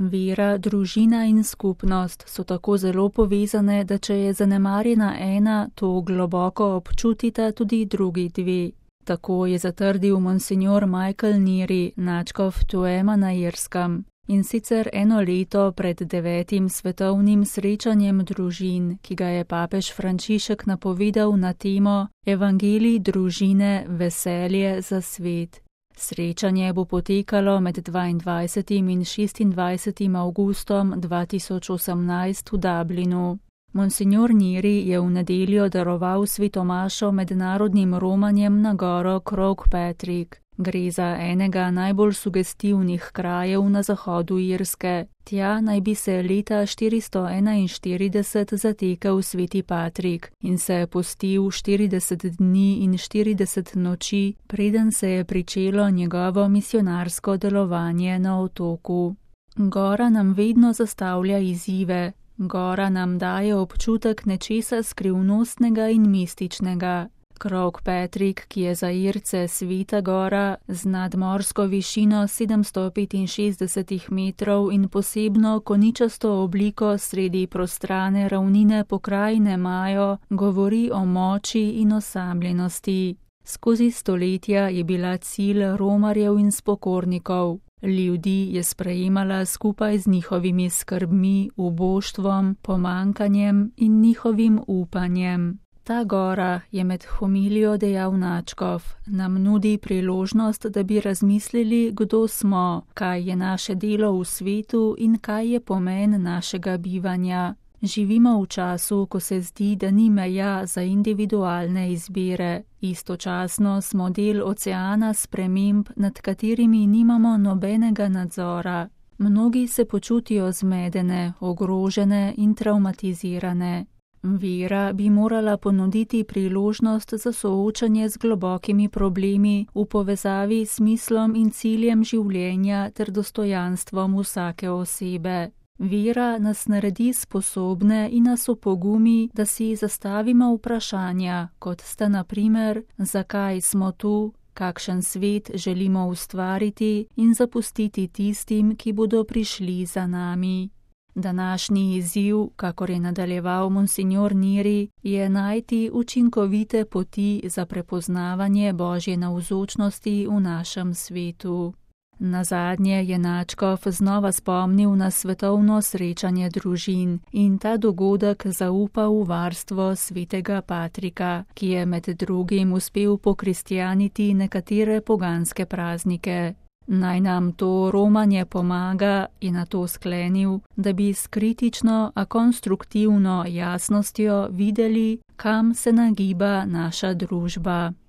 Vera, družina in skupnost so tako zelo povezane, da če je zanemarjena ena, to globoko občutita tudi drugi dve. Tako je zatrdil monsignor Michael Neary, nadškof Tuama na Irskem. In sicer 1 leto pred 9. svetovnim srečanjem družin, ki ga je papež Frančišek napovedal na temo Evangelij družine, veselje za svet. Srečanje bo potekalo med 22. in 26. avgustom 2018 v Dublinu. Monsignor Neary je v nedeljo daroval svetomašo mednarodnim romanjem na goro Croagh Patrick. Gre za enega najbolj sugestivnih krajev na zahodu Irske. Tja naj bi se leta 441 zatekel sveti Patrik in se postil 40 dni in 40 noči, preden se je pričelo njegovo misionarsko delovanje na otoku. Gora nam vedno zastavlja izzive. Gora nam daje občutek nečesa skrivnostnega in mističnega. Croagh Patrick, ki je za Irce sveta gora z nadmorsko višino 765 metrov in posebno koničasto obliko sredi prostrane ravnine pokrajine Majo, govori o moči in osamljenosti. Skozi stoletja je bila cilj romarjev in spokornikov. Ljudi je sprejemala skupaj z njihovimi skrbmi, uboštvom, pomankanjem in njihovim upanjem. Ta gora, je med homilijo dejal nadškof, nam nudi priložnost, da bi razmislili, kdo smo, kaj je naše delo v svetu in kaj je pomen našega bivanja. Živimo v času, ko se zdi, da ni meja za individualne izbire. Istočasno smo del oceana sprememb, nad katerimi nimamo nobenega nadzora. Mnogi se počutijo zmedene, ogrožene in travmatizirane. Vera bi morala ponuditi priložnost za soočanje z globokimi problemi v povezavi s smislom in ciljem življenja ter dostojanstvom vsake osebe. Vera nas naredi sposobne in nas opogumi, da si zastavimo vprašanja, kot sta na primer, zakaj smo tu, kakšen svet želimo ustvariti in zapustiti tistim, ki bodo prišli za nami. Današnji izziv, kakor je nadaljeval monsignor Neary, je najti učinkovite poti za prepoznavanje Božje navzočnosti v našem svetu. Nazadnje je nadškof znova spomnil na svetovno srečanje družin in ta dogodek zaupal v varstvo svetega Patrika, ki je med drugim uspel pokristjaniti nekatere poganske praznike. Naj nam to romanje pomaga, je nato sklenil, da bi s kritično, a konstruktivno jasnostjo videli, kam se nagiba naša družba.